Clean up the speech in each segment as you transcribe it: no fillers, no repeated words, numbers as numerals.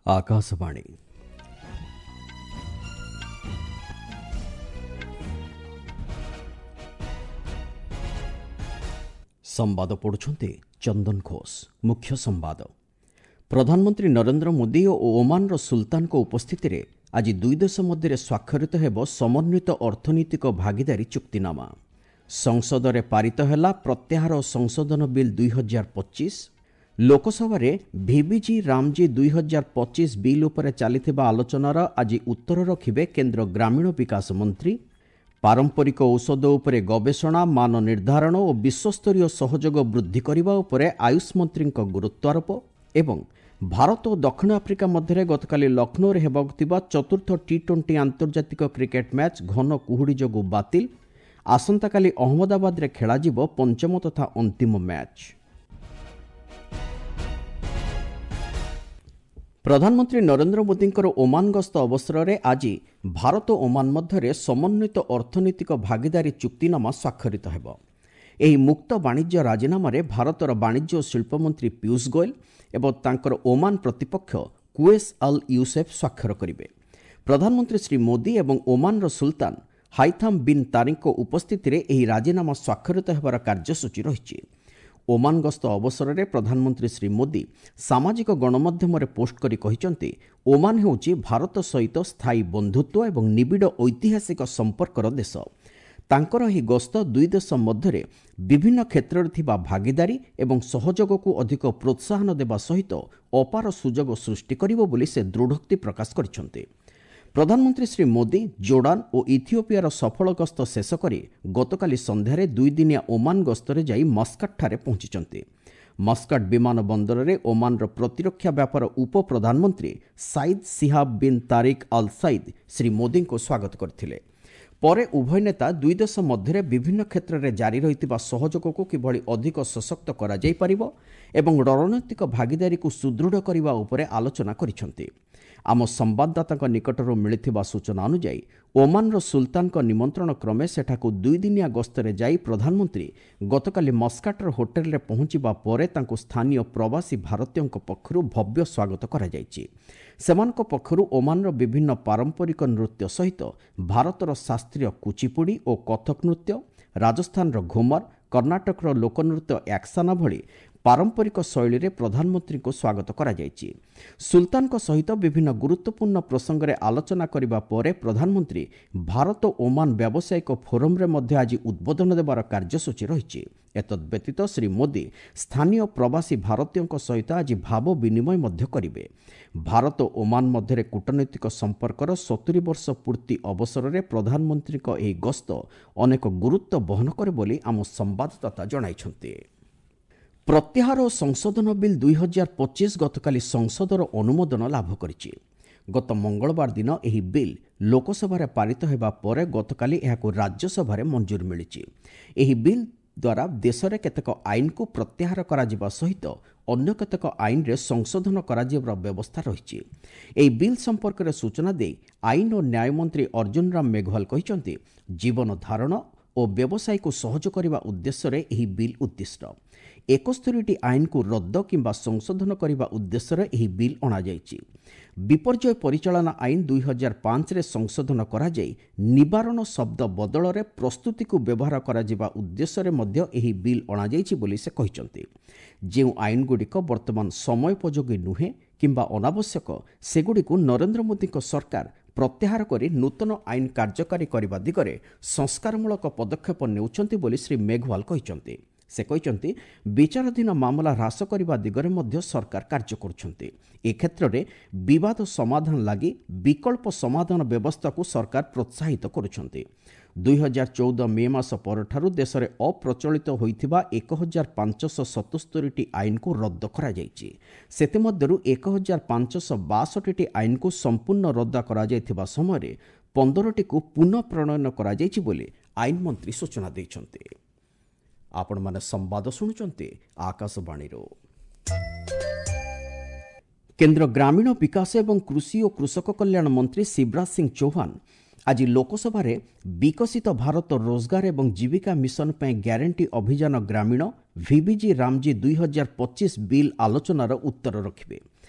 ଆକାଶବାଣୀ। ସମ୍ବାଦ ପଢ଼ୁଛନ୍ତି ଚନ୍ଦନ ଘୋଷ। ମୁଖ୍ୟ ସମ୍ବାଦ। ପ୍ରଧାନମନ୍ତ୍ରୀ ନରେନ୍ଦ୍ର ମୋଦି ଓ ଓମାନର ସୁଲତାନଙ୍କ ଉପସ୍ଥିତିରେ ଆଜି ଦୁଇ ଦେଶ ମଧ୍ୟରେ ସ୍ୱାକ୍ଷରିତ ହେବ ସମନ୍ୱିତ ଅର୍ଥନୈତିକ ଭାଗିଦାରୀ ଚୁକ୍ତିନାମା। ସଂସଦରେ ପାରିତ ହେଲା ପ୍ରତ୍ୟାହାର ଓ ସଂଶୋଧନ ବିଲ୍ 2025। ଲୋକସଭାରେ ଭିବିଜି ରାମଜୀ 2025 ବିଲ୍ ଉପରେ ଚାଲିଥିବା ଆଲୋଚନାର ଆଜି ଉତ୍ତର ରଖିବେ କେନ୍ଦ୍ର ଗ୍ରାମୀଣ ବିକାଶ ମନ୍ତ୍ରୀ। ପାରମ୍ପରିକ ଔଷଧ ଉପରେ ଗବେଷଣା, ମାନ ନିର୍ଦ୍ଧାରଣ ଓ ବିଶ୍ୱସ୍ତରୀୟ ସହଯୋଗ ବୃଦ୍ଧି କରିବା ଉପରେ ଆୟୁଷ ମନ୍ତ୍ରୀଙ୍କ ଗୁରୁତ୍ୱାରୋପ। ଏବଂ ଭାରତ ଓ ଦକ୍ଷିଣ ଆଫ୍ରିକା ମଧ୍ୟରେ ଗତକାଲି ଲକ୍ଷ୍ନୌରେ ହେବାକୁ ଥିବା ଚତୁର୍ଥ ଟି-20 ଆନ୍ତର୍ଜାତିକ କ୍ରିକେଟ୍ ମ୍ୟାଚ୍ ଘନ କୁହୁଡ଼ି ଯୋଗୁଁ ବାତିଲ। ଆସନ୍ତାକାଲି ଅହମ୍ମଦାବାଦରେ ଖେଳାଯିବ ପଞ୍ଚମ ତଥା ଅନ୍ତିମ ମ୍ୟାଚ୍। ପ୍ରଧାନମନ୍ତ୍ରୀ ନରେନ୍ଦ୍ର ମୋଦିଙ୍କର ଓମାନ ଗସ୍ତ ଅବସରରେ ଆଜି ଭାରତ ଓମାନ ମଧ୍ୟରେ ସମନ୍ୱିତ ଅର୍ଥନୈତିକ ଭାଗିଦାରୀ ଚୁକ୍ତିନାମା ସ୍ୱାକ୍ଷରିତ ହେବ। ଏହି ମୁକ୍ତ ବାଣିଜ୍ୟ ରାଜିନାମାରେ ଭାରତର ବାଣିଜ୍ୟ ଓ ଶିଳ୍ପମନ୍ତ୍ରୀ ପୀୟୁଷ ଗୋଏଲ ଏବଂ ତାଙ୍କର ଓମାନ ପ୍ରତିପକ୍ଷ କୁଏସ୍ ଅଲ୍ ୟୁସେଫ୍ ସ୍ୱାକ୍ଷର କରିବେ। ପ୍ରଧାନମନ୍ତ୍ରୀ ଶ୍ରୀ ମୋଦି ଏବଂ ଓମାନର ସୁଲତାନ ହାଇଥାମ୍ ବିନ୍ ତାରିକଙ୍କ ଉପସ୍ଥିତିରେ ଏହି ରାଜିନାମା ସ୍ୱାକ୍ଷରିତ ହେବାର କାର୍ଯ୍ୟସୂଚୀ ରହିଛି। ଓମାନ ଗସ୍ତ ଅବସରରେ ପ୍ରଧାନମନ୍ତ୍ରୀ ଶ୍ରୀ ମୋଦି ସାମାଜିକ ଗଣମାଧ୍ୟମରେ ପୋଷ୍ଟ କରି କହିଛନ୍ତି, ଓମାନ ହେଉଛି ଭାରତ ସହିତ ସ୍ଥାୟୀ ବନ୍ଧୁତ୍ୱ ଏବଂ ନିବିଡ଼ ଐତିହାସିକ ସମ୍ପର୍କର ଦେଶ। ତାଙ୍କର ଏହି ଗସ୍ତ ଦୁଇ ଦେଶ ମଧ୍ୟରେ ବିଭିନ୍ନ କ୍ଷେତ୍ରରେ ଥିବା ଭାଗିଦାରୀ ଏବଂ ସହଯୋଗକୁ ଅଧିକ ପ୍ରୋତ୍ସାହନ ଦେବା ସହିତ ଅପାର ସୁଯୋଗ ସୃଷ୍ଟି କରିବ ବୋଲି ସେ ଦୃଢ଼ୋକ୍ତି ପ୍ରକାଶ କରିଛନ୍ତି। ପ୍ରଧାନମନ୍ତ୍ରୀ ଶ୍ରୀ ମୋଦି ଜୋର୍ଡାନ ଓ ଇଥିଓପିଆର ସଫଳ ଗସ୍ତ ଶେଷ କରି ଗତକାଲି ସନ୍ଧ୍ୟାରେ ଦୁଇଦିନିଆ ଓମାନ ଗସ୍ତରେ ଯାଇ ମସ୍କଟଠାରେ ପହଞ୍ଚିଛନ୍ତି। ମସ୍କଟ ବିମାନ ବନ୍ଦରରେ ଓମାନର ପ୍ରତିରକ୍ଷା ବ୍ୟାପାର ଉପପ୍ରଧାନମନ୍ତ୍ରୀ Sayyid Shihab bin Tariq Al Said Shri ମୋଦିଙ୍କୁ ସ୍ୱାଗତ କରିଥିଲେ। ପରେ ଉଭୟ ନେତା ଦୁଇ ଦେଶ ମଧ୍ୟରେ ବିଭିନ୍ନ କ୍ଷେତ୍ରରେ ଜାରି ରହିଥିବା ସହଯୋଗକୁ କିଭଳି ଅଧିକ ସଶକ୍ତ କରାଯାଇପାରିବ ଏବଂ ରଣନୈତିକ ଭାଗିଦାରୀକୁ ସୁଦୃଢ଼ କରିବା ଉପରେ ଆଲୋଚନା କରିଛନ୍ତି। ଆମ ସମ୍ବାଦଦାତାଙ୍କ ନିକଟରୁ ମିଳିଥିବା ସୂଚନା ଅନୁଯାୟୀ, ଓମାନର ସୁଲତାନଙ୍କ ନିମନ୍ତ୍ରଣ କ୍ରମେ ସେଠାକୁ ଦୁଇଦିନିଆ ଗସ୍ତରେ ଯାଇ ପ୍ରଧାନମନ୍ତ୍ରୀ ଗତକାଲି ମସ୍କାଟର ହୋଟେଲରେ ପହଞ୍ଚିବା ପରେ ତାଙ୍କୁ ସ୍ଥାନୀୟ ପ୍ରବାସୀ ଭାରତୀୟଙ୍କ ପକ୍ଷରୁ ଭବ୍ୟ ସ୍ୱାଗତ କରାଯାଇଛି। ସେମାନଙ୍କ ପକ୍ଷରୁ ଓମାନର ବିଭିନ୍ନ ପାରମ୍ପରିକ ନୃତ୍ୟ ସହିତ ଭାରତର ଶାସ୍ତ୍ରୀୟ କୁଚିପୁଡ଼ି ଓ କଥକ ନୃତ୍ୟ, ରାଜସ୍ଥାନର ଘୁମର, କର୍ଣ୍ଣାଟକର ଲୋକନୃତ୍ୟ ୟାକ୍ସାନା ଭଳି ପାରମ୍ପରିକ ଶୈଳୀରେ ପ୍ରଧାନମନ୍ତ୍ରୀଙ୍କୁ ସ୍ୱାଗତ କରାଯାଇଛି। ସୁଲତାନଙ୍କ ସହିତ ବିଭିନ୍ନ ଗୁରୁତ୍ୱପୂର୍ଣ୍ଣ ପ୍ରସଙ୍ଗରେ ଆଲୋଚନା କରିବା ପରେ ପ୍ରଧାନମନ୍ତ୍ରୀ ଭାରତ ଓମାନ ବ୍ୟାବସାୟିକ ଫୋରମରେ ମଧ୍ୟ ଆଜି ଉଦ୍ବୋଧନ ଦେବାର କାର୍ଯ୍ୟସୂଚୀ ରହିଛି। ଏତଦ୍ବ୍ୟତୀତ ଶ୍ରୀ ମୋଦି ସ୍ଥାନୀୟ ପ୍ରବାସୀ ଭାରତୀୟଙ୍କ ସହିତ ଆଜି ଭାବ ବିନିମୟ ମଧ୍ୟ କରିବେ। ଭାରତ ଓମାନ ମଧ୍ୟରେ କୂଟନୈତିକ ସମ୍ପର୍କର 70 ବର୍ଷ ପୂର୍ତ୍ତି ଅବସରରେ ପ୍ରଧାନମନ୍ତ୍ରୀଙ୍କ ଏହି ଗସ୍ତ ଅନେକ ଗୁରୁତ୍ୱ ବହନ କରେ ବୋଲି ଆମ ସମ୍ବାଦଦାତା ଜଣାଇଛନ୍ତି। ପ୍ରତ୍ୟାହାର ଓ ସଂଶୋଧନ ବିଲ୍ 2025 ଗତକାଲି ସଂସଦର ଅନୁମୋଦନ ଲାଭ କରିଛି। ଗତ ମଙ୍ଗଳବାର ଦିନ ଏହି ବିଲ୍ ଲୋକସଭାରେ ପାରିତ ହେବା ପରେ ଗତକାଲି ଏହାକୁ ରାଜ୍ୟସଭାରେ ମଞ୍ଜୁର ମିଳିଛି। ଏହି ବିଲ୍ ଦ୍ୱାରା ଦେଶରେ କେତେକ ଆଇନକୁ ପ୍ରତ୍ୟାହାର କରାଯିବା ସହିତ ଅନ୍ୟ କେତେକ ଆଇନରେ ସଂଶୋଧନ କରାଯିବାର ବ୍ୟବସ୍ଥା ରହିଛି। ଏହି ବିଲ୍ ସମ୍ପର୍କରେ ସୂଚନା ଦେଇ ଆଇନ ଓ ନ୍ୟାୟମନ୍ତ୍ରୀ ଅର୍ଜୁନ ରାମ ମେଘୱାଲ କହିଛନ୍ତି, ଜୀବନ ଧାରଣ ଓ ବ୍ୟବସାୟକୁ ସହଜ କରିବା ଉଦ୍ଦେଶ୍ୟରେ ଏହି ବିଲ୍ ଉଦ୍ଦିଷ୍ଟ। 71ଟି ଆଇନକୁ ରଦ୍ଦ କିମ୍ବା ସଂଶୋଧନ କରିବା ଉଦ୍ଦେଶ୍ୟରେ ଏହି ବିଲ୍ ଅଣାଯାଇଛି। ବିପର୍ଯ୍ୟୟ ପରିଚାଳନା ଆଇନ 2005ରେ ସଂଶୋଧନ କରାଯାଇ ନିବାରଣ ଶବ୍ଦ ବଦଳରେ ପ୍ରସ୍ତୁତିକୁ ବ୍ୟବହାର କରାଯିବା ଉଦ୍ଦେଶ୍ୟରେ ମଧ୍ୟ ଏହି ବିଲ୍ ଅଣାଯାଇଛି ବୋଲି ସେ କହିଛନ୍ତି। ଯେଉଁ ଆଇନଗୁଡ଼ିକ ବର୍ତ୍ତମାନ ସମୟୋପଯୋଗୀ ନୁହେଁ କିମ୍ବା ଅନାବଶ୍ୟକ, ସେଗୁଡ଼ିକୁ ନରେନ୍ଦ୍ର ମୋଦିଙ୍କ ସରକାର ପ୍ରତ୍ୟାହାର କରି ନୂତନ ଆଇନ କାର୍ଯ୍ୟକାରୀ କରିବା ଦିଗରେ ସଂସ୍କାରମୂଳକ ପଦକ୍ଷେପ ନେଉଛନ୍ତି ବୋଲି ଶ୍ରୀ ମେଘୱାଲ କହିଛନ୍ତି। ସେ କହିଛନ୍ତି, ବିଚାରାଧୀନ ମାମଲା ହ୍ରାସ କରିବା ଦିଗରେ ମଧ୍ୟ ସରକାର କାର୍ଯ୍ୟ କରୁଛନ୍ତି। ଏ କ୍ଷେତ୍ରରେ ବିବାଦ ସମାଧାନ ଲାଗି ବିକଳ୍ପ ସମାଧାନ ବ୍ୟବସ୍ଥାକୁ ସରକାର ପ୍ରୋତ୍ସାହିତ କରୁଛନ୍ତି। 2014 ମେ ମାସ ପରଠାରୁ ଦେଶରେ ଅପ୍ରଚଳିତ ହୋଇଥିବା 1577ଟି ଆଇନକୁ ରଦ୍ଦ କରାଯାଇଛି। ସେଥିମଧ୍ୟରୁ 1562ଟି ଆଇନକୁ ସମ୍ପୂର୍ଣ୍ଣ ରଦ୍ଦ କରାଯାଇଥିବା ସମୟରେ 15ଟିକୁ ପୁନଃ ପ୍ରଣୟନ କରାଯାଇଛି ବୋଲି ଆଇନ ମନ୍ତ୍ରୀ ସୂଚନା ଦେଇଛନ୍ତି। ଆପଣମାନେ ସମ୍ବାଦ ଶୁଣୁଛନ୍ତି ଆକାଶବାଣୀରୁ। କେନ୍ଦ୍ର ଗ୍ରାମୀଣ ବିକାଶ ଏବଂ କୃଷି ଓ କୃଷକ କଲ୍ୟାଣ ମନ୍ତ୍ରୀ ଶିବରାଜ ସିଂ ଚୌହାନ ଆଜି ଲୋକସଭାରେ ବିକଶିତ ଭାରତ ରୋଜଗାର ଏବଂ ଜୀବିକା ମିଶନ ପାଇଁ ଗ୍ୟାରେଣ୍ଟି ଅଭିଯାନ ଗ୍ରାମୀଣ ଭିବିଜି ରାମଜୀ 2025 ବିଲ୍ ଆଲୋଚନାର ଉତ୍ତର ରଖିବେ।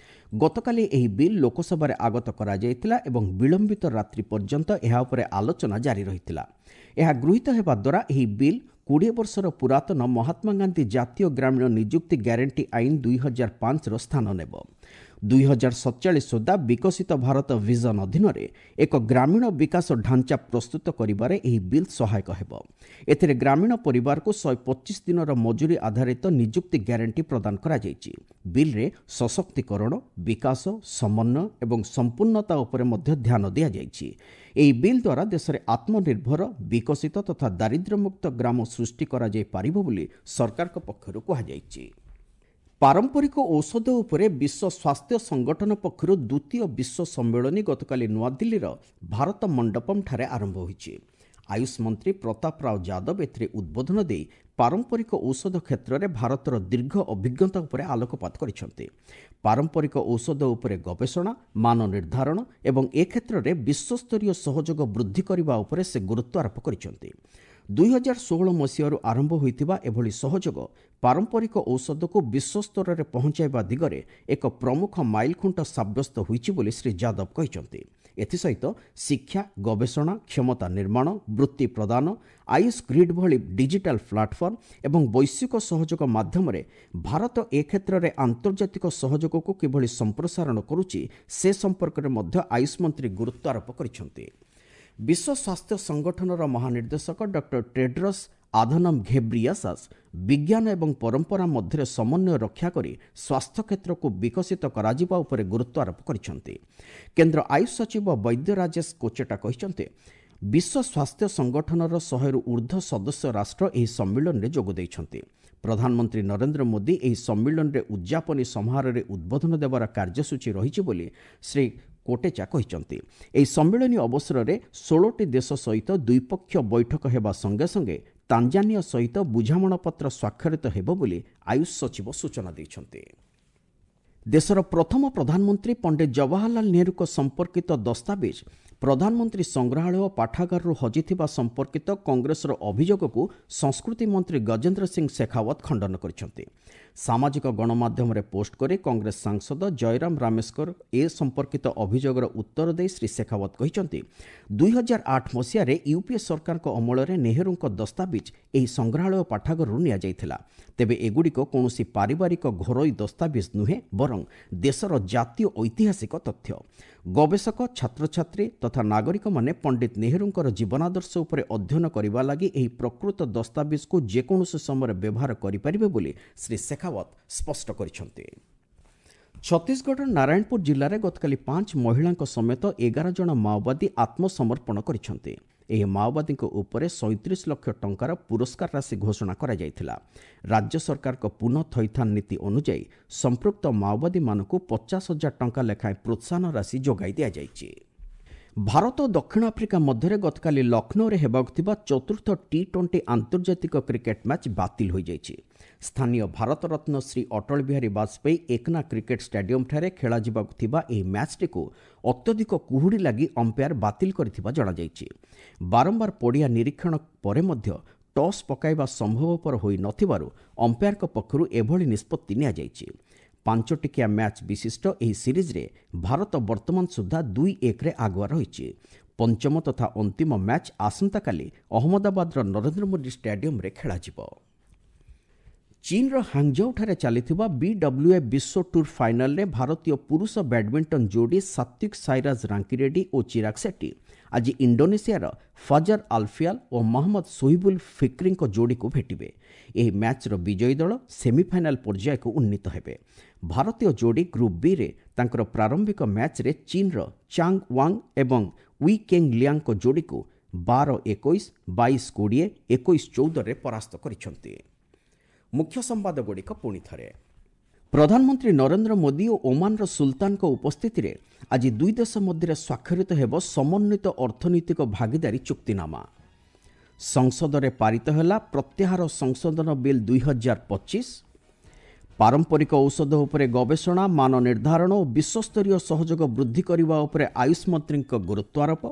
ଗତକାଲି ଏହି ବିଲ୍ ଲୋକସଭାରେ ଆଗତ କରାଯାଇଥିଲା ଏବଂ ବିଳମ୍ବିତ ରାତ୍ରି ପର୍ଯ୍ୟନ୍ତ ଏହା ଉପରେ ଆଲୋଚନା ଜାରି ରହିଥିଲା। ଏହା ଗୃହୀତ ହେବା ଦ୍ୱାରା ଏହି ବିଲ୍ 20 ବର୍ଷର ପୁରାତନ ମହାତ୍ମା ଗାନ୍ଧୀ ଜାତୀୟ ଗ୍ରାମୀଣ ନିଯୁକ୍ତି ଗ୍ୟାରେଣ୍ଟି ଆଇନ 2005ର ସ୍ଥାନ ନେବ। 2047 ସୁଦ୍ଧା ବିକଶିତ ଭାରତ ଭିଜନ ଅଧୀନରେ ଏକ ଗ୍ରାମୀଣ ବିକାଶ ଢାଞ୍ଚା ପ୍ରସ୍ତୁତ କରିବାରେ ଏହି ବିଲ୍ ସହାୟକ ହେବ। ଏଥିରେ ଗ୍ରାମୀଣ ପରିବାରକୁ 125 ଦିନର ମଜୁରୀ ଆଧାରିତ ନିଯୁକ୍ତି ଗ୍ୟାରେଣ୍ଟି ପ୍ରଦାନ କରାଯାଇଛି। ବିଲ୍ରେ ସଶକ୍ତିକରଣ, ବିକାଶ, ସମନ୍ୱୟ ଏବଂ ସମ୍ପୂର୍ଣ୍ଣତା ଉପରେ ମଧ୍ୟ ଧ୍ୟାନ ଦିଆଯାଇଛି। ଏହି ବିଲ୍ ଦ୍ୱାରା ଦେଶରେ ଆତ୍ମନିର୍ଭର, ବିକଶିତ ତଥା ଦାରିଦ୍ର୍ୟମୁକ୍ତ ଗ୍ରାମ ସୃଷ୍ଟି କରାଯାଇପାରିବ ବୋଲି ସରକାରଙ୍କ ପକ୍ଷରୁ କୁହାଯାଇଛି। ପାରମ୍ପରିକ ଔଷଧ ଉପରେ ବିଶ୍ୱ ସ୍ୱାସ୍ଥ୍ୟ ସଂଗଠନ ପକ୍ଷରୁ ଦ୍ୱିତୀୟ ବିଶ୍ୱ ସମ୍ମିଳନୀ ଗତକାଲି ନୂଆଦିଲ୍ଲୀର ଭାରତ ମଣ୍ଡପମ୍ଠାରେ ଆରମ୍ଭ ହୋଇଛି। ଆୟୁଷ ମନ୍ତ୍ରୀ ପ୍ରତାପ ରାଓ ଯାଦବ ଏଥିରେ ଉଦ୍ବୋଧନ ଦେଇ ପାରମ୍ପରିକ ଔଷଧ କ୍ଷେତ୍ରରେ ଭାରତର ଦୀର୍ଘ ଅଭିଜ୍ଞତା ଉପରେ ଆଲୋକପାତ କରିଛନ୍ତି। ପାରମ୍ପରିକ ଔଷଧ ଉପରେ ଗବେଷଣା, ମାନ ନିର୍ଦ୍ଧାରଣ ଏବଂ ଏ କ୍ଷେତ୍ରରେ ବିଶ୍ୱସ୍ତରୀୟ ସହଯୋଗ ବୃଦ୍ଧି କରିବା ଉପରେ ସେ ଗୁରୁତ୍ୱ ଆରୋପ କରିଛନ୍ତି। 2016 ମସିହାରୁ ଆରମ୍ଭ ହୋଇଥିବା ଏଭଳି ସହଯୋଗ ପାରମ୍ପରିକ ଔଷଧକୁ ବିଶ୍ୱସ୍ତରରେ ପହଞ୍ଚାଇବା ଦିଗରେ ଏକ ପ୍ରମୁଖ ମାଇଲଖୁଣ୍ଟ ସାବ୍ୟସ୍ତ ହୋଇଛି ବୋଲି ଶ୍ରୀ ଯାଦବ କହିଛନ୍ତି। ଏଥିସହିତ ଶିକ୍ଷା, ଗବେଷଣା, କ୍ଷମତା ନିର୍ମାଣ, ବୃତ୍ତି ପ୍ରଦାନ, ଆୟୁଷ ଗ୍ରିଡ୍ ଭଳି ଡିଜିଟାଲ ପ୍ଲାଟଫର୍ମ ଏବଂ ବୈଶ୍ୱିକ ସହଯୋଗ ମାଧ୍ୟମରେ ଭାରତ ଏ କ୍ଷେତ୍ରରେ ଆନ୍ତର୍ଜାତିକ ସହଯୋଗକୁ କିଭଳି ସମ୍ପ୍ରସାରଣ କରୁଛି ସେ ସମ୍ପର୍କରେ ମଧ୍ୟ ଆୟୁଷ ମନ୍ତ୍ରୀ ଗୁରୁତ୍ୱ ଆରୋପ କରିଛନ୍ତି। ବିଶ୍ୱ ସ୍ୱାସ୍ଥ୍ୟ ସଂଗଠନର ମହାନିର୍ଦ୍ଦେଶକ ଡକ୍ଟର ଟେଡ୍ରସ୍ ଆଧନମ୍ ଘେବ୍ରିୟାସାସ୍ ବିଜ୍ଞାନ ଏବଂ ପରମ୍ପରା ମଧ୍ୟରେ ସମନ୍ୱୟ ରକ୍ଷା କରି ସ୍ୱାସ୍ଥ୍ୟ କ୍ଷେତ୍ରକୁ ବିକଶିତ କରାଯିବା ଉପରେ ଗୁରୁତ୍ୱ ଆରୋପ କରିଛନ୍ତି। କେନ୍ଦ୍ର ଆୟୁଷ ସଚିବ ବୈଦ୍ୟ ରାଜେଶ କୋଚେଟା କହିଛନ୍ତି, ବିଶ୍ୱ ସ୍ୱାସ୍ଥ୍ୟ ସଂଗଠନର 100ରୁ ଉର୍ଦ୍ଧ୍ୱ ସଦସ୍ୟ ରାଷ୍ଟ୍ର ଏହି ସମ୍ମିଳନୀରେ ଯୋଗ ଦେଇଛନ୍ତି। ପ୍ରଧାନମନ୍ତ୍ରୀ ନରେନ୍ଦ୍ର ମୋଦି ଏହି ସମ୍ମିଳନୀରେ ଉଦ୍ଯାପନୀ ସମାରୋହରେ ଉଦ୍ବୋଧନ ଦେବାର କାର୍ଯ୍ୟସୂଚୀ ରହିଛି ବୋଲି ଶ୍ରୀ କୋଟେଚା କହିଛନ୍ତି। ଏହି ସମ୍ମିଳନୀ ଅବସରରେ 16ଟି ଦେଶ ସହିତ ଦ୍ୱିପକ୍ଷୀୟ ବୈଠକ ହେବା ସଙ୍ଗେ ସଙ୍ଗେ ତାଞ୍ଜାନିଆ ସହିତ ବୁଝାମଣାପତ୍ର ସ୍ୱାକ୍ଷରିତ ହେବ ବୋଲି ଆୟୁଷ ସଚିବ ସୂଚନା ଦେଇଛନ୍ତି। ଦେଶର ପ୍ରଥମ ପ୍ରଧାନମନ୍ତ୍ରୀ ପଣ୍ଡିତ ଜବାହରଲାଲ ନେହେରୁଙ୍କ ସମ୍ପର୍କିତ ଦସ୍ତାବିଜ ପ୍ରଧାନମନ୍ତ୍ରୀ ସଂଗ୍ରହାଳୟ ପାଠାଗାରରୁ ହଜିଥିବା ସମ୍ପର୍କିତ କଂଗ୍ରେସର ଅଭିଯୋଗକୁ ସଂସ୍କୃତି ମନ୍ତ୍ରୀ ଗଜେନ୍ଦ୍ର ସିଂ ଶେଖାୱତ ଖଣ୍ଡନ କରିଛନ୍ତି। ସାମାଜିକ ଗଣମାଧ୍ୟମରେ ପୋଷ୍ଟ କରି କଂଗ୍ରେସ ସାଂସଦ ଜୟରାମ ରାମେଶ୍ୱର ଏ ସମ୍ପର୍କିତ ଅଭିଯୋଗର ଉତ୍ତର ଦେଇ ଶ୍ରୀ ଶେଖାୱତ କହିଛନ୍ତି, 2008 ମସିହାରେ ୟୁପିଏ ସରକାରଙ୍କ ଅମଳରେ ନେହେରୁଙ୍କ ଦସ୍ତାବିଜ ଏହି ସଂଗ୍ରହାଳୟ ପାଠାଗାରରୁ ନିଆଯାଇଥିଲା। ତେବେ ଏଗୁଡ଼ିକ କୌଣସି ପାରିବାରିକ ଘରୋଇ ଦସ୍ତାବିଜ ନୁହେଁ, ବରଂ ଦେଶର ଜାତୀୟ ଐତିହାସିକ ତଥ୍ୟ। ଗବେଷକ, ଛାତ୍ରଛାତ୍ରୀ ତଥା ନାଗରିକମାନେ ପଣ୍ଡିତ ନେହେରୁଙ୍କର ଜୀବନାଦର୍ଶ ଉପରେ ଅଧ୍ୟୟନ କରିବା ଲାଗି ଏହି ପ୍ରକୃତ ଦସ୍ତାବିଜକୁ ଯେକୌଣସି ସମୟରେ ବ୍ୟବହାର କରିପାରିବେ ବୋଲି ଶ୍ରୀ ଶେଖାୱତ ସ୍ପଷ୍ଟ କରିଛନ୍ତି। ଛତିଶଗଡ଼ର ନାରାୟଣପୁର ଜିଲ୍ଲାରେ ଗତକାଲି 5 ମହିଳାଙ୍କ ସମେତ 11 ଜଣ ମାଓବାଦୀ ଆତ୍ମସମର୍ପଣ କରିଛନ୍ତି। ଏହି ମାଓବାଦୀଙ୍କ ଉପରେ 37 ଲକ୍ଷ ଟଙ୍କାର ପୁରସ୍କାର ରାଶି ଘୋଷଣା କରାଯାଇଥିଲା। ରାଜ୍ୟ ସରକାରଙ୍କ ପୁନଃ ଥଇଥାନ ନୀତି ଅନୁଯାୟୀ ସମ୍ପୃକ୍ତ ମାଓବାଦୀମାନଙ୍କୁ 50,000 ଟଙ୍କା ଲେଖାଏଁ ପ୍ରୋତ୍ସାହନ ରାଶି ଯୋଗାଇ ଦିଆଯାଇଛି। ଭାରତ ଓ ଦକ୍ଷିଣ ଆଫ୍ରିକା ମଧ୍ୟରେ ଗତକାଲି ଲକ୍ଷ୍ନୌରେ ହେବାକୁ ଥିବା ଚତୁର୍ଥ ଟି-20 ଆନ୍ତର୍ଜାତିକ କ୍ରିକେଟ୍ ମ୍ୟାଚ୍ ବାତିଲ ହୋଇଯାଇଛି। ସ୍ଥାନୀୟ ଭାରତରତ୍ନ ଶ୍ରୀ ଅଟଳ ବିହାରୀ ବାଜପେୟୀ ଏକନା କ୍ରିକେଟ୍ ଷ୍ଟାଡିୟମ୍ଠାରେ ଖେଳାଯିବାକୁ ଥିବା ଏହି ମ୍ୟାଚ୍ଟିକୁ ଅତ୍ୟଧିକ କୁହୁଡ଼ି ଲାଗି ଅମ୍ପାୟାର ବାତିଲ କରିଥିବା ଜଣାଯାଇଛି। ବାରମ୍ବାର ପଡ଼ିଆ ନିରୀକ୍ଷଣ ପରେ ମଧ୍ୟ ଟସ୍ ପକାଇବା ସମ୍ଭବପର ହୋଇନଥିବାରୁ ଅମ୍ପାୟାରଙ୍କ ପକ୍ଷରୁ ଏଭଳି ନିଷ୍ପତ୍ତି ନିଆଯାଇଛି। 5 ଟିକିଆ ମ୍ୟାଚ୍ ବିଶିଷ୍ଟ ଏହି ସିରିଜ୍ରେ ଭାରତ ବର୍ତ୍ତମାନ ସୁଦ୍ଧା 2-1ରେ ଆଗୁଆ ରହିଛି। ପଞ୍ଚମ ତଥା ଅନ୍ତିମ ମ୍ୟାଚ୍ ଆସନ୍ତାକାଲି ଅହମ୍ମଦାବାଦର ନରେନ୍ଦ୍ର ମୋଦି ଷ୍ଟାଡିୟମ୍ରେ ଖେଳାଯିବ। ଚୀନ୍ର ହାଙ୍ଗଝାଉଠାରେ ଚାଲିଥିବା ବିଡବ୍ଲ୍ୟୁଏଫ୍ ବିଶ୍ୱ ଟୁର୍ ଫାଇନାଲରେ ଭାରତୀୟ ପୁରୁଷ ବ୍ୟାଡମିଣ୍ଟନ ଯୋଡ଼ି ସାତ୍ୱିକ ସାଇରାଜ ରାଙ୍କିରେଡ୍ଡି ଓ ଚିରାଗ ସେଟ୍ଟି ଆଜି ଇଣ୍ଡୋନେସିଆର ଫଜର ଆଲଫିଆଲ ଓ ମହମ୍ମଦ ସୋହିବୁଲ ଫିକ୍ରିଙ୍କ ଯୋଡ଼ିକୁ ଭେଟିବେ। ଏହି ମ୍ୟାଚ୍ର ବିଜୟୀ ଦଳ ସେମିଫାଇନାଲ ପର୍ଯ୍ୟାୟକୁ ଉନ୍ନୀତ ହେବେ। ଭାରତୀୟ ଯୋଡ଼ି ଗ୍ରୁପ୍ ବିରେ ତାଙ୍କର ପ୍ରାରମ୍ଭିକ ମ୍ୟାଚ୍ରେ ଚୀନ୍ର ଚାଙ୍ଗ ୱାଙ୍ଗ ଏବଂ we କେଙ୍ଗ ଲିଆଙ୍ଗଙ୍କ ଯୋଡ଼ିକୁ 12-21, 22-20, 21-14ରେ ପରାସ୍ତ କରିଛନ୍ତି। ମୁଖ୍ୟ ସମ୍ବାଦଗୁଡ଼ିକ ପୁଣି ଥରେ। ପ୍ରଧାନମନ୍ତ୍ରୀ ନରେନ୍ଦ୍ର ମୋଦି ଓ ଓମାନର ସୁଲତାନଙ୍କ ଉପସ୍ଥିତିରେ ଆଜି ଦୁଇ ଦେଶ ମଧ୍ୟରେ ସ୍ୱାକ୍ଷରିତ ହେବ ସମନ୍ୱିତ ଅର୍ଥନୈତିକ ଭାଗିଦାରୀ ଚୁକ୍ତିନାମା। ସଂସଦରେ ପାରିତ ହେଲା ପ୍ରତ୍ୟାହାର ସଂଶୋଧନ ବିଲ୍ 2025। ପାରମ୍ପରିକ ଔଷଧ ଉପରେ ଗବେଷଣା, ମାନ ନିର୍ଦ୍ଧାରଣ ଓ ବିଶ୍ୱସ୍ତରୀୟ ସହଯୋଗ ବୃଦ୍ଧି କରିବା ଉପରେ ଆୟୁଷ ମନ୍ତ୍ରୀଙ୍କ ଗୁରୁତ୍ୱାରୋପ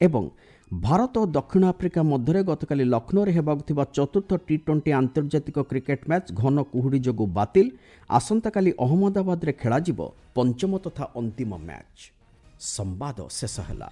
ଏବଂ ଭାରତ ଓ ଦକ୍ଷିଣ ଆଫ୍ରିକା ମଧ୍ୟରେ ଗତକାଲି ଲକ୍ଷ୍ନୌରେ ହେବାକୁ ଥିବା ଚତୁର୍ଥ ଟି-20 ଆନ୍ତର୍ଜାତିକ କ୍ରିକେଟ୍ ମ୍ୟାଚ୍ ଘନ କୁହୁଡ଼ି ଯୋଗୁଁ ବାତିଲ। ଆସନ୍ତାକାଲି ଅହମ୍ମଦାବାଦରେ ଖେଳାଯିବ ପଞ୍ଚମ ତଥା ଅନ୍ତିମ ମ୍ୟାଚ୍। ସମ୍ବାଦ ଶେଷ ହେଲା।